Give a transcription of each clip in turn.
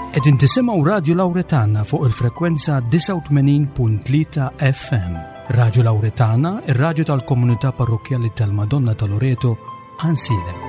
Qegħdin tisimgħu Radju Lawretana fuq il-frekwenza 89.3 FM. Radju Lawretana, ir-radju tal-komunità parrokkjali tal-Madonna ta' Loreto, Ansilem.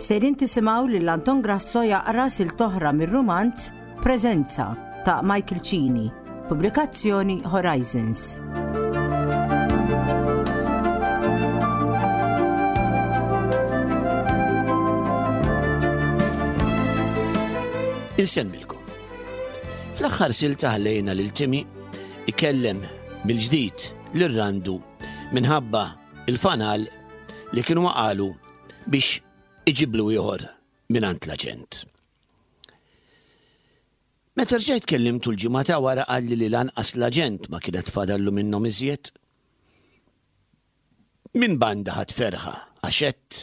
Sejrin tisimgħu lil Anton Grasso jaqra silta oħra mir-rumanz Preżenza ta' Michael Cini, pubblikazzjoni Horizons. Insemmilkom. Fl-aħħar silta ħallejna lil Timi ikellem mill-ġdid lil Randu minħabba il-fanal li kienu waqalu biex iġiblu ieħor mingħand l-aġent. Meta rġajt kellimtu l-ġimgħa ta' wara qalli li lanqas l-aġent ma kienet fadallu minnhom iżjed. Minn banda ħadt ferħa għax għedt,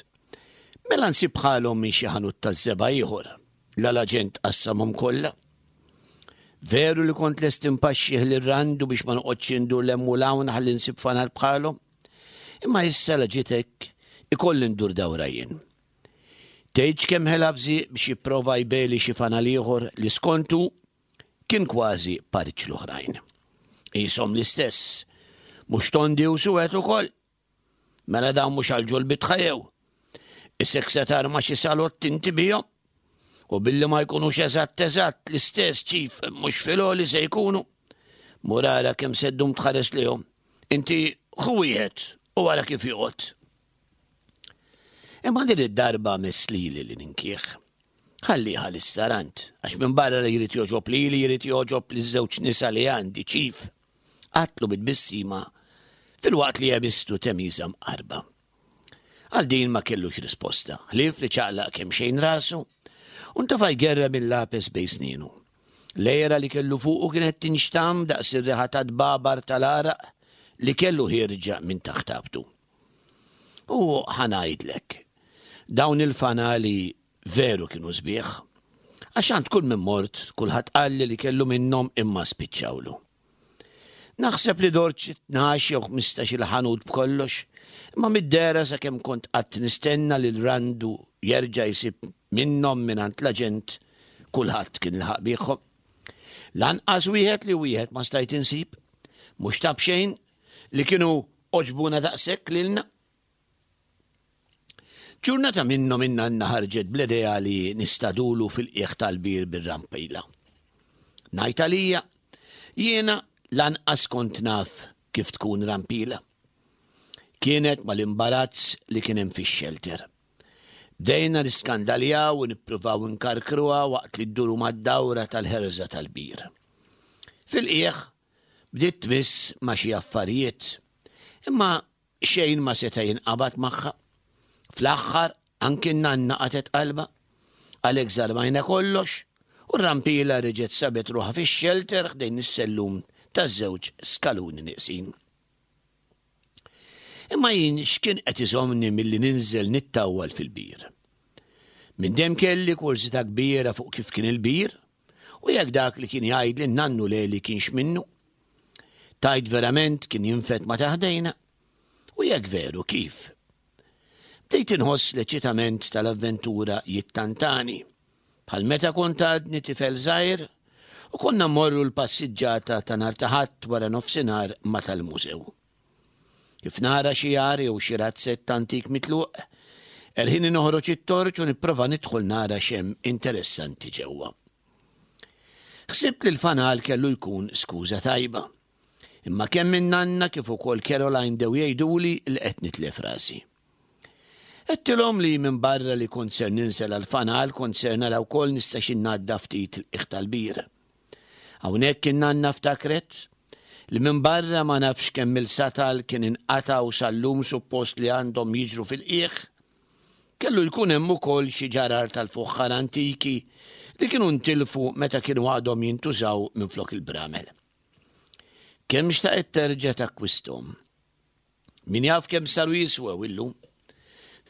mela nsib bħalhom minn xi ħanut taż-żebgħa ieħor, la l-aġent qassamhom kollha. Veru li kont lest inpaxxih lil Randu biex ma noqgħodx indur 'l hemm u 'l hawn ħalli nsib fanal bħalhom. Imma issa la ġiet hekk, ikolli ndur dawra jien. Tgħidx kemm ħela bżieq biex jipprova jbegħli xi fanal ieħor li skontu kien kważi pariġġ l-oħrajn. Qishom l-istess. Mhux tondi u suwed ukoll? Mela dawn mhux għal ġol-bitħa jew? Isek se tarma xi salott inti bihom? U billi ma jkunux eżatt eżatt l-istess ċif mhux fil-għoli se jkunu. Mur ara kemm se ddum tħares lihom. Inti ħu wieħed u ara kif joqgħod. Imma din id-darba mess lili li ninkih. Ħalliha lis-sarant, għax minbarra li jrid jogħġob lili jrid jogħġob liż-żewġ nisa li għandi, ċif. Qatlu bi tbissima filwaqt li għemistu temiża mqarba. Għal din ma kellux risposta, ħlief li ċaqlaq kemxejn rasu u ntefa' jgerrem il-lapes bejn snienu. L-għera li kellu fuqu kienet tinxtamm daqs ir-riħa tat-tbabar tal-għaraq li kellu ħierġa minn taħt abtu. U ħa ngħidlek, dawn il-fanali veru kienu sbieħ. Għax għand kull min mort, kulħadd qalli li kellu minnhom imma spiċċawlu. Naħseb li dort xi 12 jew 15 il-ħanut b'kollox, imma mid-dehra sakemm kont qatt nistenna li l-Randu jerġa' jsib minnhom mingħand l-aġent, kulħadd kien laħaq biegħhom. Lanqas wieħed li wieħed ma stajt insib, mhux ta' b'xejn li kienu għoġbuna daqshekk lilna. Ġurnata minnhom in-nanna ħarġet bl-idea li nistadulu fil-qiegħ tal-bir bir-rampila. Ngħid għalija, jiena lanqas kont naf kif tkun rampila. Kienet mal-imbarazz li kien hemm fix-xelter. Bdejna niskandaljaw u nippruvaw nkarkruha waqt li dduru mad-dawra tal-ħerża tal-bir. Fil-qiegħ Bdiet tmiss ma' xi affarijiet, imma xejn ma seta' jinqabad magħha. Fl-aħħar, anki n-nanna qatgħet qalbha. Għalhekk żarmajna kollox u r-rampila reġgħet sabet ruħha fix-xelter ħdejn is-sellum taż-żewġ skaluni nieqsin. Imma jien x'kien qed iżommni milli ninżel nittawwal fil-bir? Minn dejjem kelli kurżità kbira fuq kif kien il-bir u jekk dak li kien jgħidli n-nannu Leli kienx minnu. Tgħid verament kien jinfed ma' ta' ħdejna? U jekk veru, kif? Bdejt inħoss l-eċitament tal-avventura jittantani, bħal meta kont għadni tifel żgħir u konna mmorru l-passiġġata ta' nhar ta' Ħadd wara nofsinhar ma' tal-mużew. Kif nara xi għar jew xi razzett antik mitluq, erħini noħroġ it-torċ u nipprova nidħol nara x'hemm interessanti ġewwa. Ħsibt li l-fanal kellu jkun skuża tajba. Imma kemm in-nanna kif ukoll Caroline bdew jgħiduli li qed nitlef rasi. Għedtilhom li minbarra li kont ser ninżel għall-fanal kont ser nara wkoll nistax innaddaf ftit il-qiegħ tal-bir. Hawnhekk in-nanna ftakret li minbarra ma nafx kemm-il satal kien inqata' u sal-lum suppost li għandhom jiġru fil-qiegħ, kellu jkun hemm ukoll xi ġarar tal-fuħħar antiki li kienu ntilfu meta kienu għadhom jintużaw minflok il-bramel. Kemm xtaqet terġa' takkwisthom. Min jaf kemm saru jiswew illum.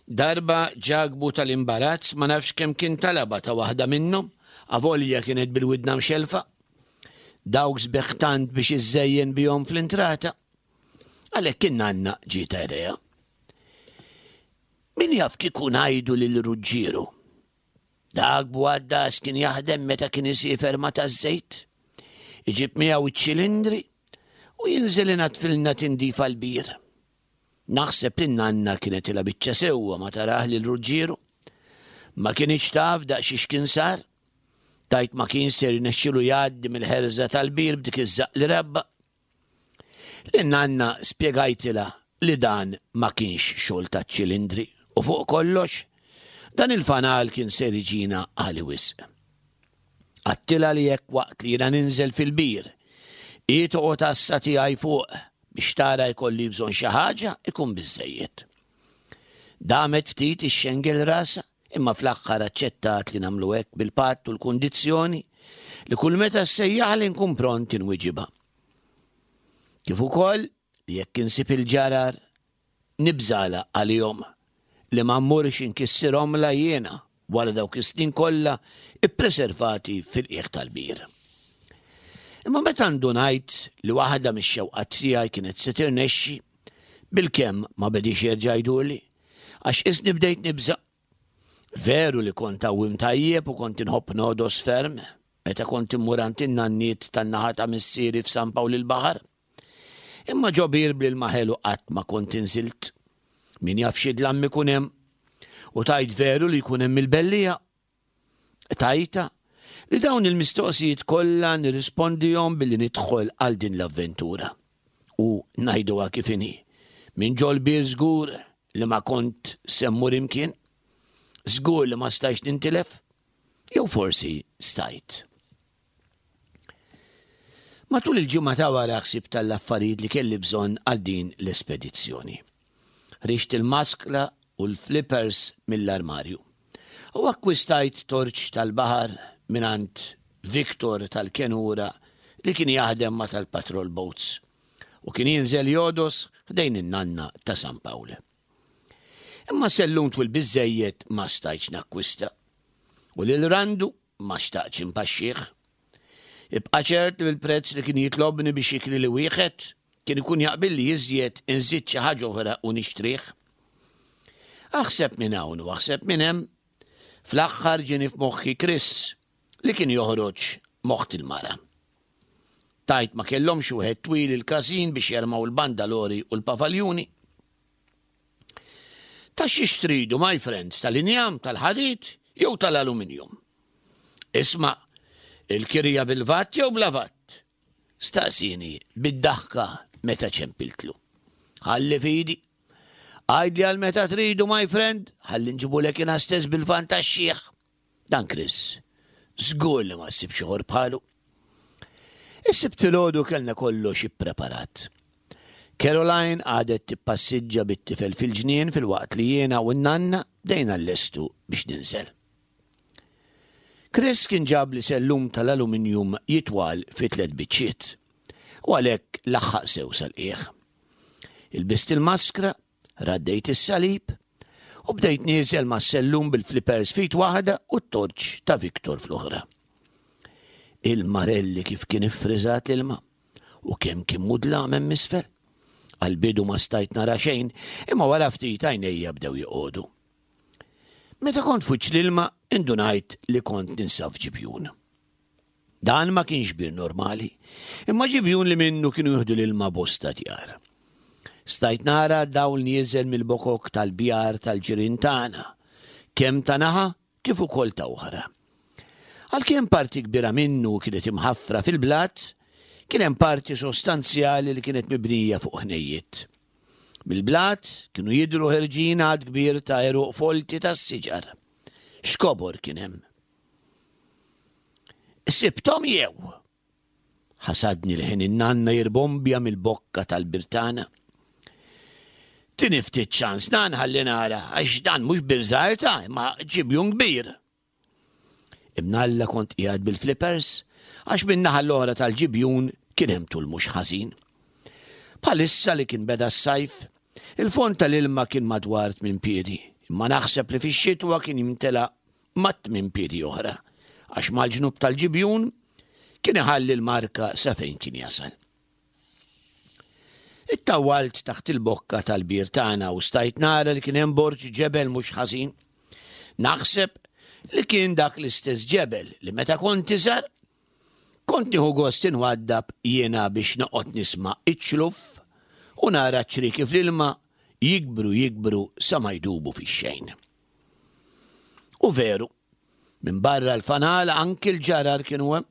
Darba Ġakbu tal-imbarazz ma nafx kemm kien talabha ta' waħda minnhom, avolja kienet bil-widna mxellfa. Dawk sbeħ tant biex iżżejjen bihom fl-intrata. Għalhekk in-nanna ġietha idea. Min jaf kieku ngħidu lil Ruġġieru. Dak b'għaddas kien jaħdem meta kien isiefer ma' taż-żejt. Iġib miegħu iċ-ċilindri u jinżel inadfilna tindifa l-bir. Naħseb li n-nanna kienet ilha biċċa sewwa ma tarah lil Ruġġieru. Ma kinitx taf daqsxiex kien sar. Tgħid ma kienx ser jirnexxilu jgħaddi mill-ħerża tal-bir b'dik iż-żaqq li rabba. Lin-nanna spjegajtilha li dan ma kienx xogħol taċ-ċilindri u fuq kollox, dan il-fanal kien ser iġina għali wisq. Għadtilha li jekk waqt li jiena ninżel fil-bir, hi toqgħod għassa tiegħi fuq biex tara jkolli bżonn xi ħaġa ikun biżżejjed. Damet ftit ixxengel rasha imma fl-aħħar aċċettat li nagħmlu hekk bil-patt u l-kundizzjoni li kull meta ssejjaħli nkun pront inwiġibha. Kif ukoll li jekk insib il-ġarar nibżalha għalihom li ma mmurx inkissirhomlha jiena wara dawk is-snin kollha ppreservati fil-qiegħ tal-bir. Imma meta ndunajt li waħda mix-xewqat tiegħi kienet se tirnexxi, bilkemm ma bediex jerġa' jdurli, għax qisni bdejt nibża'. Veru li kont għawwiem tajjeb u kont inħobb nogħdos ferm meta kont immur għand in-nanniet tan-naħa ta' missieri f'San Pawl il-Baħar. Imma ġo bir bl-ilma ħelu qatt ma kont inżilt. Min jaf xi dlam ikun hemm. U tgħid veru li jkun hemm il-belliegħa? Qtajtha li dawn il-mistoqsijiet kollha nirrispondihom billi nidħol għal din l-avventura. U ngħiduha kif inhi, minn ġol-bir żgur li ma kont se mmur imkien, żgur li ma stajtx nintilef, jew forsi stajt. Matul il-ġimgħa ta' wara ħsibt għall-affarijiet li kelli bżonn għal din l-espedizzjoni. Ħriġt il-maskla u l-flippers mill-armarju. U akkwistajt torċ tal-baħar mingħand Victor tal-Kenura li kien jaħdem ma' tal-patrol boats u kien jinżel jogħdos ħdejn in-nanna ta' San Pawl. Imma sellum twil biżżejjed ma stajtx nakkwista. U lil Randu Ma xtaqtx inpaxxih. Ibqa' ċert li bil-prezz li kien jitlobni biex jikrili wieħed, kien ikun jaqbilli iżjed inżid xi ħaġa oħra u nixtrih. Aħseb minn hawn u aħseb minn hemm, fl-aħħar ġieni f'moħħi Chris li kien joħroġ m'oħt il-mara. Tgħid ma kellhomx wieħed twil il-każin biex jermaw il-bandalori u l-pavaljuni? Ta' xiex tridu, my friends, tal-injam, tal-ħadid jew tal-aluminium? Isma', il-kirja bil-vat jew bla vat? Staqsini bid-daħka meta ċempiltlu. Ħalli fidi. Għidli għal meta tridu, my friend, ħalli nġibulek jiena stess bil-van tax-xiħ. Dan Chris, żgur li ma ssibx ieħor bħalu. Is-Sibt filgħodu kellna kollox ippreparat. Caroline qagħdet tippassiġġa bit-tifel fil-ġnien filwaqt li jiena u n-nanna bdejna nlestu biex ninżel. Chris kien ġabli sellum tal-aluminjum jitwal fi tlett biċċiet u għalhekk laħħaq sew sal-qiegħ. Ilbist il-maskra Raddejt is-salib u bdejt nieżel mas-sellum bil-flippers f'id waħda u t-torċ ta' Victor fl-oħra. Il-marelli kif kien iffriżat l-ilma u kemm kien mudlam hemm isfel. Għall-bidu ma stajt nara xejn, imma wara ftit għajnejja bdew joqogħdu. Meta kont f'wiċċ l-ilma, indunajt li kont ninsab f'ġibjun. Dan ma kienx bir normali, imma ġibjun li minnu kienu jieħdu l-ilma bosta djar. Stajt nara dawl nieżel mill-bokok tal-bjar tal-ġirien tagħna, kemm ta' naħa kif ukoll ta' oħra. Għalkemm parti kbira minnu kienet imħaffra fil-blat, kien hemm parti sostanzjali li kienet mibnija fuq ħnejjiet. Mill-blat kienu jidhru ħerġin għadd kbir ta' għeruq folti tas-siġar. X'kobor kien hemm! Sibthom jew? Ħasadni l-ħin in-nanna jirbombja mill-bokka tal-birtana. Tini ftit ċans nan ħalli nara għax dan mhux bir żgħir ta' imma ġibjun kbir. Imnalla kont qiegħed bil-flippers għax min-naħa l-oħra tal-ġibjun kien hemm tul mhux ħażin. Bħalissa li kien beda s-sajf, Il-fond tal-ilma kien madwar tmin piedi, imma naħseb li fix-xitwa kien jimtela mat-tmin piedi oħra, għax mal-ġnub tal-ġibjun kien iħalli l-marka sa fejn kien jasal. Ittawwalt taħt il-bokka tal-bir tagħna u stajt nara li kien hemm borġ ġebel mhux ħażin. Naħseb li kien dak l-istess ġebel li meta kont iżgħar kont nieħu gost inwaddab jiena biex noqgħod nisma' iċ-ċluff u nara ċ-ċrieki fl-ilma jikbru jikbru sa ma jdubu fix-xejn. U veru, minn barra l-fanal anki l-ġarar kienu hemm.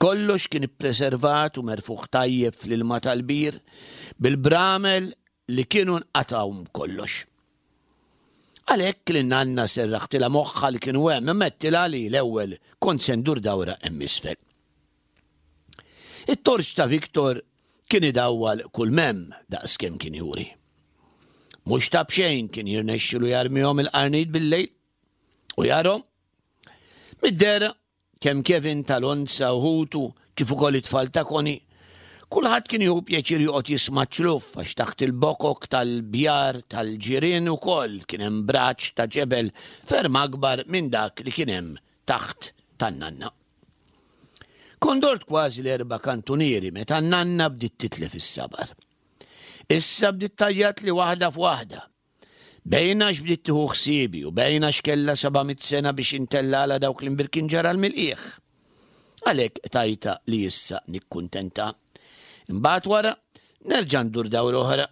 Kollox kien ippreservat u merfugħ tajjeb fl-ilma tal-bir bil-bramel li kienu nqatgħu kollox. Għalhekk li nanna serraħtilha moħħha li kienu hemm imma għedtilha li l-ewwel kont se ndur dawra hemm isfel. It-torċ ta' Victor kien idawwal kull m'hemm daqskemm kien juri. Mhux ta' b'xejn kien jirnexxilu jarmihom il-qarnit bil-lejl u jarhom. Mid-dehra Kemm Kevin tal-Onza u ħutu, kif ukoll it-tfal ta' Connie, kulħadd kien jieħu pjaċir joqgħod jisma' ċ-ċluff għax taħt il-bokok tal-bjar tal-ġirien ukoll kien hemm braċ ta' ġebel ferm akbar minn dak li kien hemm taħt tan-nanna. Kont dort kważi l-erba' kantunieri meta n-nanna bdiet titlef is-sabar. Issa bdiet tgħajjatli waħda f'waħda. Bejn għax bdiet tieħu ħsiebi u bejn għax kellha 700 sena biex intellgħalha dawk l-imbirkin ġaral mill-qiegħ. Għalhekk qtajtha li issa nikkuntenta. Imbagħad wara nerġa' ndur dawra oħra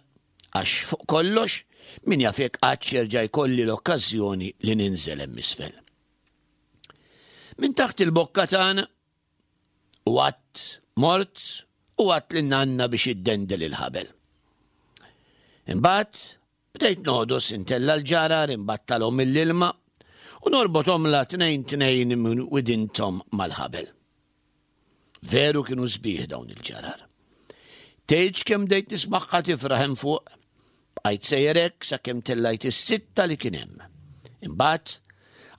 għax fuq kollox min jaf jekk qattx jerġa' jkolli l-okkażjoni li ninżel hemm isfel. Minn taħt il-bokka tagħna U għadt mort u għadt lin nanna biex iddendel il-ħabel. Imbagħad bdejt nogħdos intella' l-ġarar imbattalhom mill-ilma u norbothomlha tnejn tnejn minn widinthom mal-ħabel. Veru kienu sbieħ dawn il-ġarar. Tgħidx kemm bdejt nismagħha tifraħ hemm fuq. Bqajt sejjer hekk sakemm tellajt is-sitta li kien hemm. Imbagħad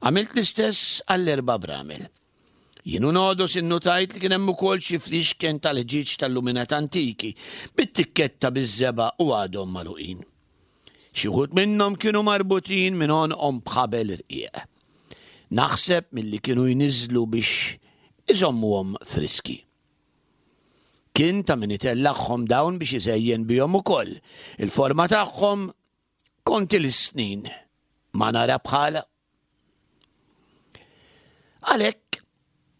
għamilt l-istess għall-erba' bramel. Jien u Nodos innutajt li kien hemm ukoll xi fliexken tal-ħġieġ tal-luminat antiki bit-tikketta biż-żebgħa u għadhom magħluqin. Xi wħud minnhom kienu marbutin minn għonqhom b'ħabel irqiq. Naħseb milli kienu jniżżlu biex iżommuhom friski. Kien ta' min itellagħhom dawn biex iżejjen bihom ukoll. Il-forma tagħhom kont ili snin ma nara bħalha. Għalhekk,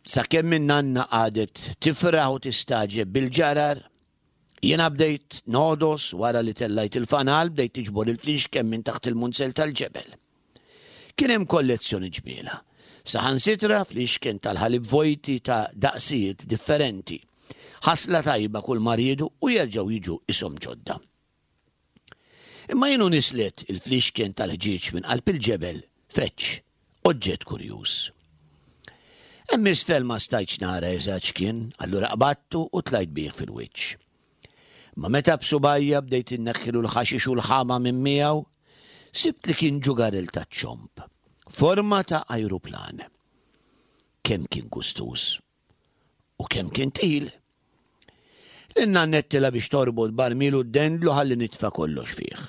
sakemm in-nanna qagħdet tifraħ u tistagħġeb bil-ġarar, jiena bdejt nogħdos wara li tellajt il-fanal bdejt niġbor il-flixken minn taħt il-munzell tal-ġebel. Kien hemm kollezzjoni ġmiela, saħansitra flixken tal-ħalib vojti ta' daqsijiet differenti. Ħasla tajba kull ma riedu u jerġgħu jiġu ishom ġodda. Imma jien u nislet il-flixken tal-ħġieġ minn qalb il-ġebel, feġġ, oġġett kurjuż. Hemm isfel ma stajtx nara eżatt x'kien, allura qbadtu u tlajt bih fil-wiċċ. Ma meta b'subajja bdejt inneħħilu l-ħaxix u l-ħama minn miegħu, sibt li kien ġugarell taċ-ċomb, forma ta' ajruplan. Kemm kien gustuż! U kemm kien tqil! Lin-nannettilha biex torbot barmil u ddendlu ħalli nitfa' kollox fih.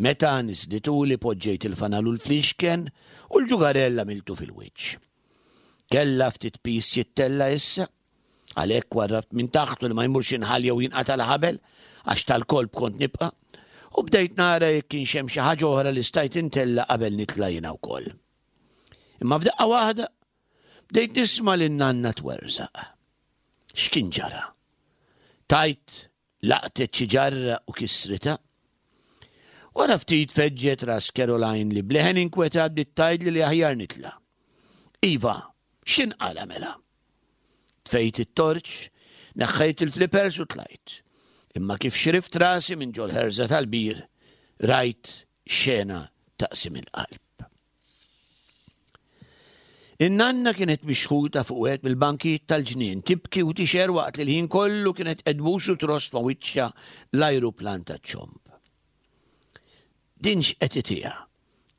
Meta niżlituli poġġejt il-fanal u l-flixken u l-ġugarell għamiltu fil-wiċċ. Kellha ftit piż jittella' issa, għalhekk warrabt minn taħtu li ma jmurx inħall jew jinqata' l-ħabel għax tal-kolp kont nibqa' u bdejt nara jekk kienx hemm xi ħaġa oħra li stajt intella' qabel nitla' jiena wkoll. Imma f'daqqa waħda Bdejt nisma' lin-nanna twerżaq. X'kien ġara? Tgħid laqtet xi ġarra u kissritha? Wara ftit feġġet ras Caroline li b'leħen inkwetat bdiet tgħidli li aħjar nitla'. Iva, x'inqala' mela? Tfejt it-torċ, neħħejt il-flippers u tlajt. Imma kif xrift rasi minn ġol-ħerża tal-bir, rajt xena taqsim il-qalb. In-nanna kienet mixħuta fuq wieħed mill-bankijiet tal-ġnien, tibki u tixher waqt li l-ħin kollu kienet qed tbus u tross ma' wiċċha l-ajruplan taċ-ċomb. Din x'qed itiha?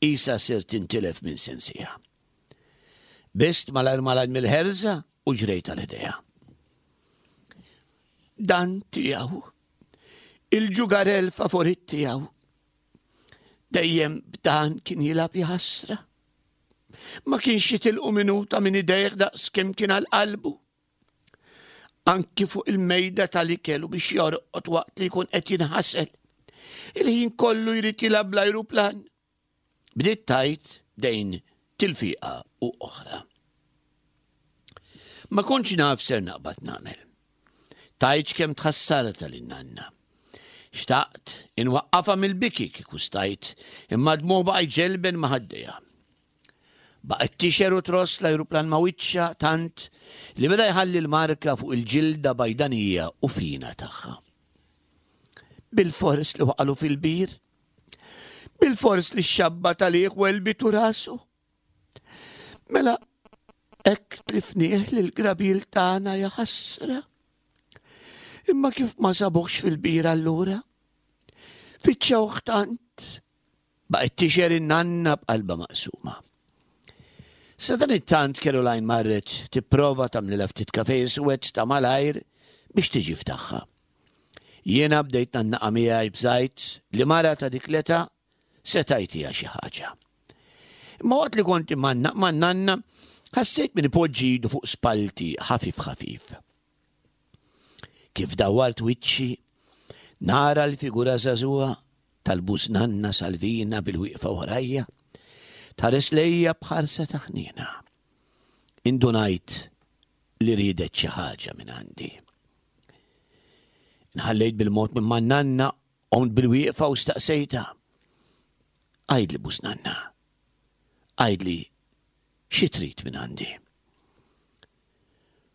Qisha ser tintilef minn sensiha. Bist malajr malajr mill-ħerża u ġrejt għal ħdejha. Dan tiegħu. Il-ġugarell favorit tiegħu. Dejjem b'dan kien jilgħab jaħasra. Ma kienx jitilqu minuta minn idejh daqs kemm kien għal qalbu. Anki fuq il-mejda tal-ikel u biex jorqod waqt li jkun qed jinħasel. Il-ħin kollu jrid jilgħab bl-ajruplan. Bdiet tgħid dejn tilfiqa u oħra. Ma kontx naf ser naqbad nagħmel. Tgħidx kemm tħassarta lin nanna. Xtaqt inwaqqafha mill-biki kieku stajt, imma d-dmugħ baqa' jġelben ma' ħaddejha. Baqgħet tixher u tross l-ajruplan ma' wiċċha tant li beda jħalli l-marka fuq il-ġilda bajdanija u fina tagħha. Bilfors li waqalu fil-bir. Bilfors li x-xabba tal-iħ welbitu rasu. Mela, hekk tlifnieh lill-grabil tagħna ja ħasra. Imma kif ma sabuhx fil-bir allura? Fittxewh tant. Baqgħet tixher in-nanna b'qalbha maqsuma. Sadanittant Caroline marret tipprova tagħmlilha ftit kafe iswed ta' malajr biex tiġi f'tagħha. Jiena bdejt nannaqa miegħi bżajt li mara ta' dik l-età seta' jtiha xi ħaġa. Imma waqt li kont imgħannaq man-nanna, ħassejt min ipoġġi idu fuq spallti ħafif ħafif. Kif dawwart wiċċi, nara l-figura żagħżugħa tal-bużnanna Salvina bil-wieqfa warajja, tħares lejja b'ħarsa ta' ħniena. Indunajt li riedet xi ħaġa minn għandi. Nħallejt bil-mod minn man-nanna, qomt bil-wieqfa u staqsejtha. Għidli bużnanna, għidli xi trid minn għandi.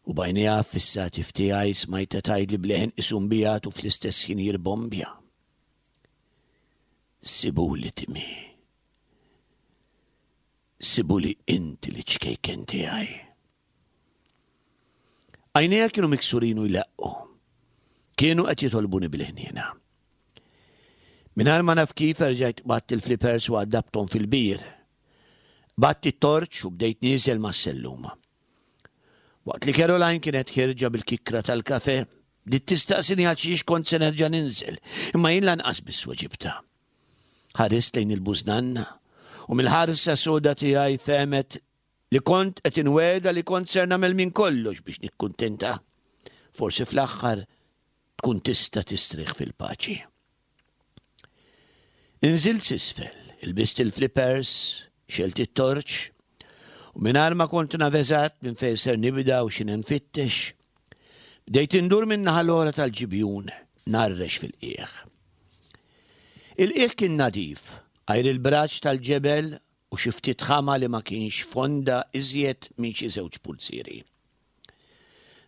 U b'għajnejha ffissati f'tiegħi smajtha tgħidli b'leħen qisu mbigħad u fl-istess ħin jirbombja. Sibuli Timmy. Sibuli inti li ċkejken tiegħi. Għajnejha kienu miksurin u jleqqu. Kienu qed jitolbuni bil-ħniena. Mingħajr ma naf kif erġajt qbadt il-flippers u għaddabthom fil-bir. Qbadt it-torċ u bdejt nieżel mas-sellum. Waqt li Caroline kienet ħierġa bil-kikkra tal-kafe, bdiet tistaqsini għal xiex kont se nerġa' ninżel, imma jien lanqas biss weġibtha. Ħarist lejn il-bużnanna u mill-ħarsa soda tiegħi fehmet li kont qed inwegħda li kont ser nagħmel minn kollox biex nikkuntenta. Forsi fl-aħħar tkun tista' tistrieħ fil-paċi. Inżilt s'isfel, ilbist il-flippers, xelt it-torċ, u mingħajr ma kont naf eżatt minn fejn ser nibda u x'inhi nfittex, bdejt indur min-naħa l-oħra tal-ġibjun narrex fil-qiegħ. Il-qiegħ kien nadif, għajr il-braġ tal-ġebel u xi ftit ħama li ma kienx fonda iżjed minn xi żewġ pulzieri.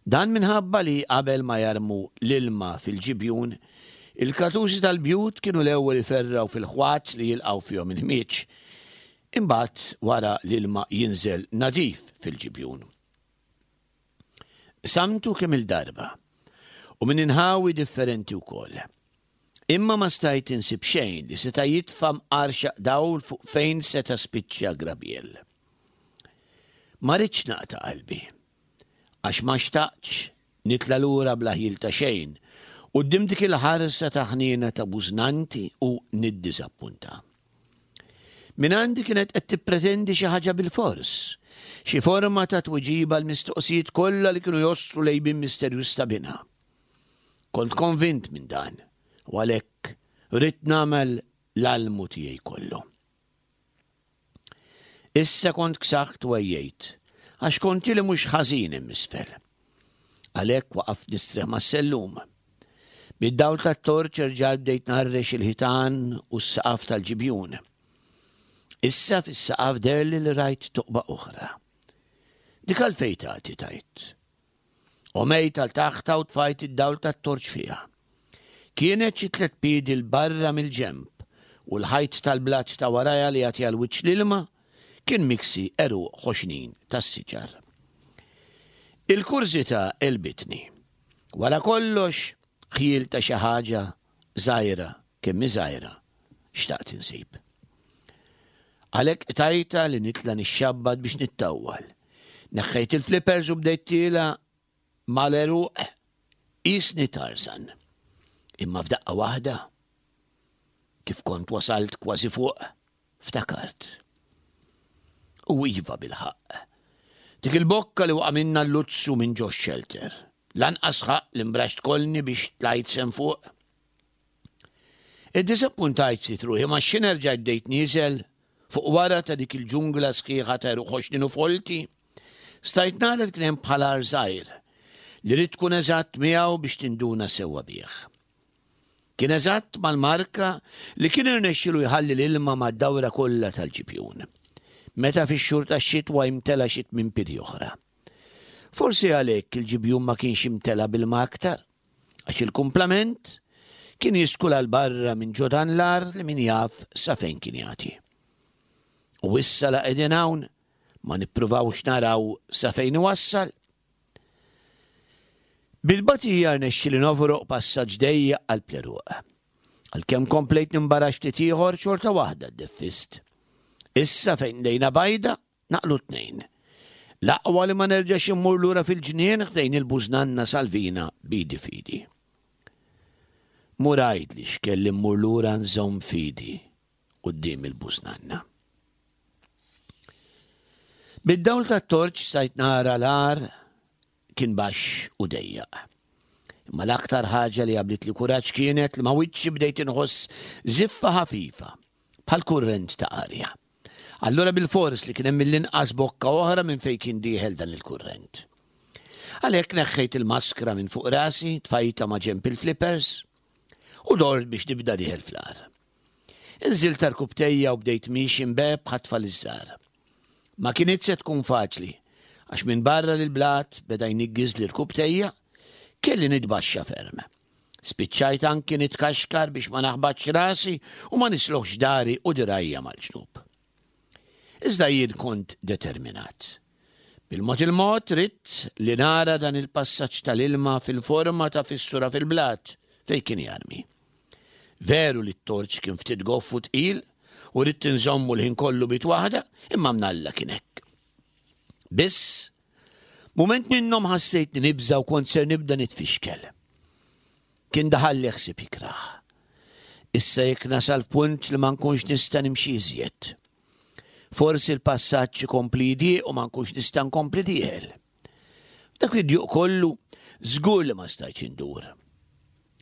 Dan minħabba li qabel ma jarmu l-ilma fil-ġibjun, il-katusi tal-bjut kienu l-ewwel iferrgħu fil-ħwat li jilqgħu fihom il-ħmieġ. Imbagħad wara l-ilma jinżel nadif fil-ġibjun. Qsamtu kemm-il darba u minn inħawi differenti wkoll. Imma ma stajt insib xejn li seta' jitfa' mqar xaq dawl fuq fejn seta' spiċċa Grabiel. Ma ridtx naqta' qalbi, għax ma xtaqtx nitla' lura bla ħjiel ta' xejn quddiem dik il-ħarsa ta' ħniena ta' bużnanti u niddiżappunta. Mingħandi kienet qed tippretendi xi ħaġa bilfors, xi forma ta' tweġiba għall-mistoqsijiet kollha li kienu jostru l-għejbien misterjuż ta' binha. Kont konvint minn dan u għalhekk ridt nagħmel l-almu tiegħi kollu. Issa kont ksaħt u għejjejt, għax kont ili mhux ħażin hemm isfel. Għalhekk waqaft nistrieħ mas-sellum. Bid-dawl tat-torċ erġajt bdejt nharrex il-ħitan u s-saqaf tal-ġibjun. Issa fis-saqaf deherli li rajt toqba oħra. Dik għalfejn tagħti tgħid? Qomejt għal taħtha u tfajt id-dawl tat-torċ fiha. Kienet xi tlett piedi 'l barra mill-ġenb u l-ħajt tal-blat ta' warajha li jagħti għal wiċċ l-ilma kien miksi għeruq ħoxnin tas-siġar. Il-kurżità għelbitni. Wara kollox, ħjiel ta' xi ħaġa żgħira kemm hi żgħira xtaqt insib. Għalhekk qtajtha li nitla' nixxabbat biex nittawwal. Neħħejt il-flippers u bdejt tiela' mal-għeruq qisni Tarzan. Imma f'daqqa waħda, kif kont wasalt kważi fuq, ftakart. U iva bilħaqq. Dik il-bokka li waqa' minna l-luzzu minn ġo xelter. Lanqas ħaqq li mbraxt kolni biex tlajt sem fuq. Iddisappuntajt ftit ruħi ma xi nerġa' bdejt nieżel fuq wara ta' dik il-ġungla sħiħa ta' għeruq ħoxnin u folti. Stajt nara li kien hemm bħal għar żgħir li ridt tkun eżatt miegħu biex tinduna sewwa bih. Kien eżatt mal-marka li kien irnexxilu jħalli l-ilma mad-dawra kollha tal-ġibjun. Meta fix-xhur tax-xitwa jimtela xi tmien piedi oħra. Forsi għalhekk il-ġibjun ma kienx imtela b'ilma aktar, għax il-kumplament kien jiskula 'l barra minn ġo dan l-għar li min jaf sa fejn kien jagħti. U issa la qegħdin hawn ma nippruvawx naraw sa fejn iwassal? Bil-batija rnexxieli nofroq passaġġ dejjaq qalb l-għeruq. Għalkemm komplejt nimbarax ftit ieħor xorta waħda ddeffist. Issa fejn lejna bajda Naqlu t-tnejn. L-aqwa li ma nerġax immur lura fil-ġnien ħdejn il-bużnanna Salvina b'idi f'idi. Mur għidli x'kelli mmur lura nżomm f'idi quddiem il-bużnanna. Bid-dawl tat-torċ stajt nara l-għar kien baxx u dejjaq. Imma l-aktar ħaġa li għablitli kuraġġ kienet li ma' wiċċi bdejt inħoss żiffa ħafifa bħal kurrent ta' arja. Allura bilfors li kien hemm mill-inqas bokka oħra minn fejn kien dieħel dan il-kurrent. Għalhekk neħħejt il-maskra minn fuq rasi, tfajtha ma' ġenb il-flippers u dort biex nibda dieħel fl-għar. Inżilt rkubtejja u bdejt miexi mbeb bħat-tfal iż-żgħar. Ma kinitx se tkun faċli, għax minbarra li l-blat beda jniggiżli rkubtejja, kelli nitbaxxa ferm. Spiċċajt anki nitkaxkar biex ma naħbatx rasi u ma nisloħx dari u dirgħajja mal-ġnub. Iżda jien kont determinat. Bil-mod il-mod ridt li nara dan il-passaġġ tal-ilma fil-forma ta' fissura fil-blat fejn kien jarmi. Veru li t-torċ kien ftit goff u tqil u ridt inżommu l-ħin kollu bit waħda, imma mnalla kien hekk. Biss, mument minnhom ħassejtni nibża' u kont ser nibda nitfixkel. Kien daħalli ħsieb ikrah. Issa jekk nasal f'punt li ma nkunx nista' nimxi iżjed. Forsi l-passaġġ ikompli jidieq u ma nkunx nista' nkompli dieħel. Dak id-djuq kollu żgur li ma stajtx indur.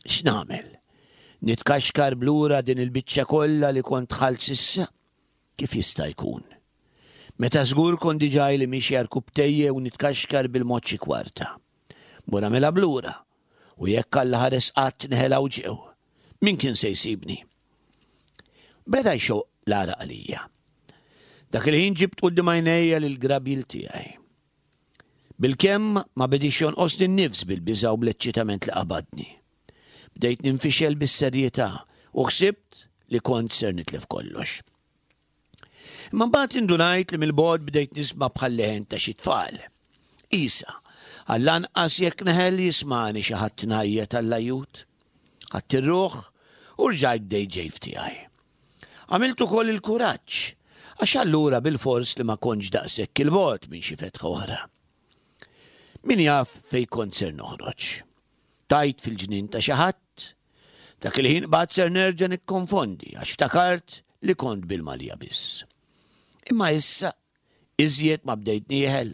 X'nagħmel? Nitkaxkar blura din il-biċċa kollha li kont dħalt s'issa? Kif jista' jkun? Meta żgur kont diġà ili miexi għarkupptejje u nitkaxkar bil-mod xi kwarta. Mur agħmilha b'lura, u jekk Alla ħares qatt neħel hawn ġew, min kien se jsibni? Beda jxoqq l-għaraq għalija. Dak il-ħin ġibt quddiem għajnejja lill-grabil tiegħi. Bilkemm ma bediex jonqosni n-nifs bil-biża' u bl-eċċitament li qabadni. Bdejt ninfixel bis-serjetà u ħsibt li kont ser nitlef kollox. Imma mbagħad indunajt li mill-bogħod bdejt nisma' bħal leħen ta' xi tfal. Isa, għall-anqas jekk neħel jismani xi ħadd ngħajjat għall-ajjut. Ħadt ir-ruħ u rġajt bdejt ġej f'tiegħi. Għamilt ukoll il-kuraġġ, għax allura bilfors li ma kontx daqshekk 'il bogħod minn xi fetħa oħra. Min jaf fejn kont ser noħroġ. Tajt fil-ġnien ta' xi ħadd? Dak il-ħin qbadt ser nerġa' nikkonfondi għax ftakart li kont bil-malja biss. Imma issa, iżjed ma bdejt nieħel,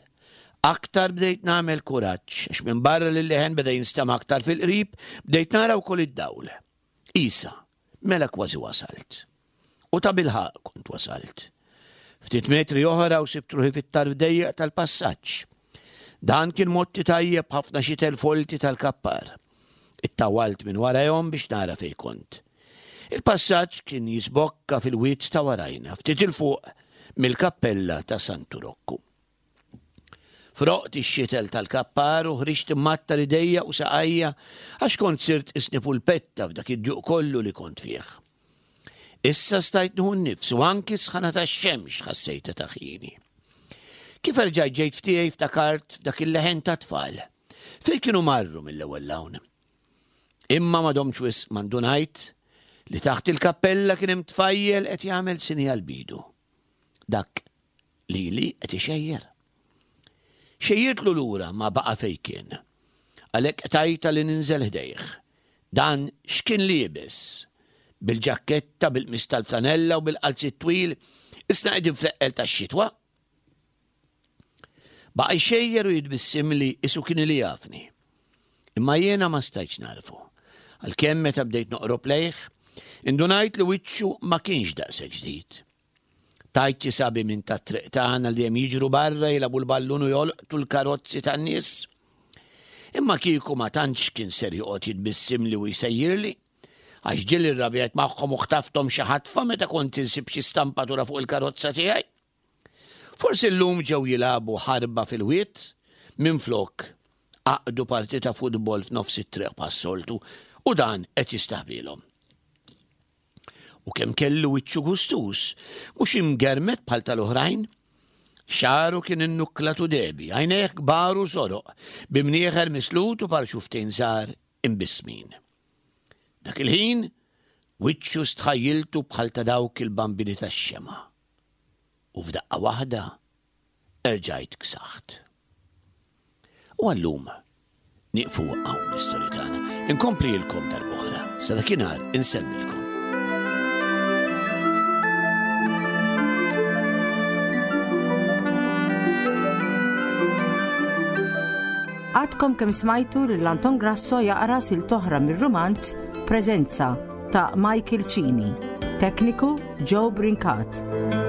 aktar bdejt nagħmel kuraġġ għax minbarra li l-leħen beda jinstema' aktar fil-qrib, bdejt nara wkoll id-dawl. Isa, mela kważi wasalt. U tabilħaqq kont wasalt. Ftit metri oħra u sibt ruħi fit-tarf dejjaq tal-passaġġ. Dan kien motti tajjeb ħafna xitel folti tal-kappar. Ittawalt minn warajhom biex nara fejn kont. Il-passaġġ kien jisbokka fil-wied ta' warajna, ftit 'il fuq mill-kappella ta' Santu Rokku. Froqt ix-xitel tal-kappar u ħriġt immattar idejja u saqajja għax kont sirt qisni pulpetta f'dak id-djuq kollu li kont fih. Issa stajt nieħu n-nifs u anki s-sħana tax-xemx ħassejtha taħjini. Kif erġajt ġejt f'tiegħi ftakart f'dak il-leħen ta' tfal. Fejn kienu marru mill-ewwel hawn. Imma ma domtx wisq ma ndunajt li taħt il-kappella kien hemm tfajjel qed jagħmel sinjal b'idu. Dak Lili qed ixejjer. Xejjirtlu lura ma baqa' fejn kien. Għalhekk qtajtha li ninżel ħdejh. Dan x'kien liebes? Bil-ġakketta, bil-qmis tal-flanella u bil-qalziet twil, isna qegħdin fl-eqqel tax-xitwa. Baqa' jxejjer u jitbissimli isu kien li jafni. Imma jiena ma stajtx nagħrfu. Għalkemm meta bdejt noqrob lejh, indunajt li wiċċu ma kienx daqshekk ġdid. Tajt xi sabi minn tat-triq tagħna li dejjem jiġru barra jilagħbu l-ballun u jolqtu l-karozzi tan-nies. Imma kieku ma tantx kien ser joqgħod jitbissimli u jsejjirli, għax ġieli rrabjajt magħhom u ħtafthom xi ħatfa meta kont insib xi stampatura fuq il-karozza tiegħi. Forsi llum ġew jilagħbu ħarba fil-wied minflok għaqdu partita futbol f'nofs it-triq bħas-soltu u dan qed jistaħbilhom. U kemm kellu wiċċu gustuż, mhux imgermet bħal tal-oħrajn. Xagħru kien innukklat u dehbi, għajnejh kbar u soroq, bi mnieħer mislut u par xuftejn żgħar imbissmin. Dak il-ħin, wiċċu stħajjiltu bħal ta' dawk il-bambini tax-xemgħa. U f'daqqa waħda erġajt ksaħt. U għallum nieqfu hawn l-istorja tagħna. Inkomplilkom darb'oħra. Sa dakinhar insellmilkom. Għadkom kemm smajtu lil Anton Grasso jaqra sil toħra mir-rumanz Preżenza ta' Michael Cini. Tekniku Joe Brincat.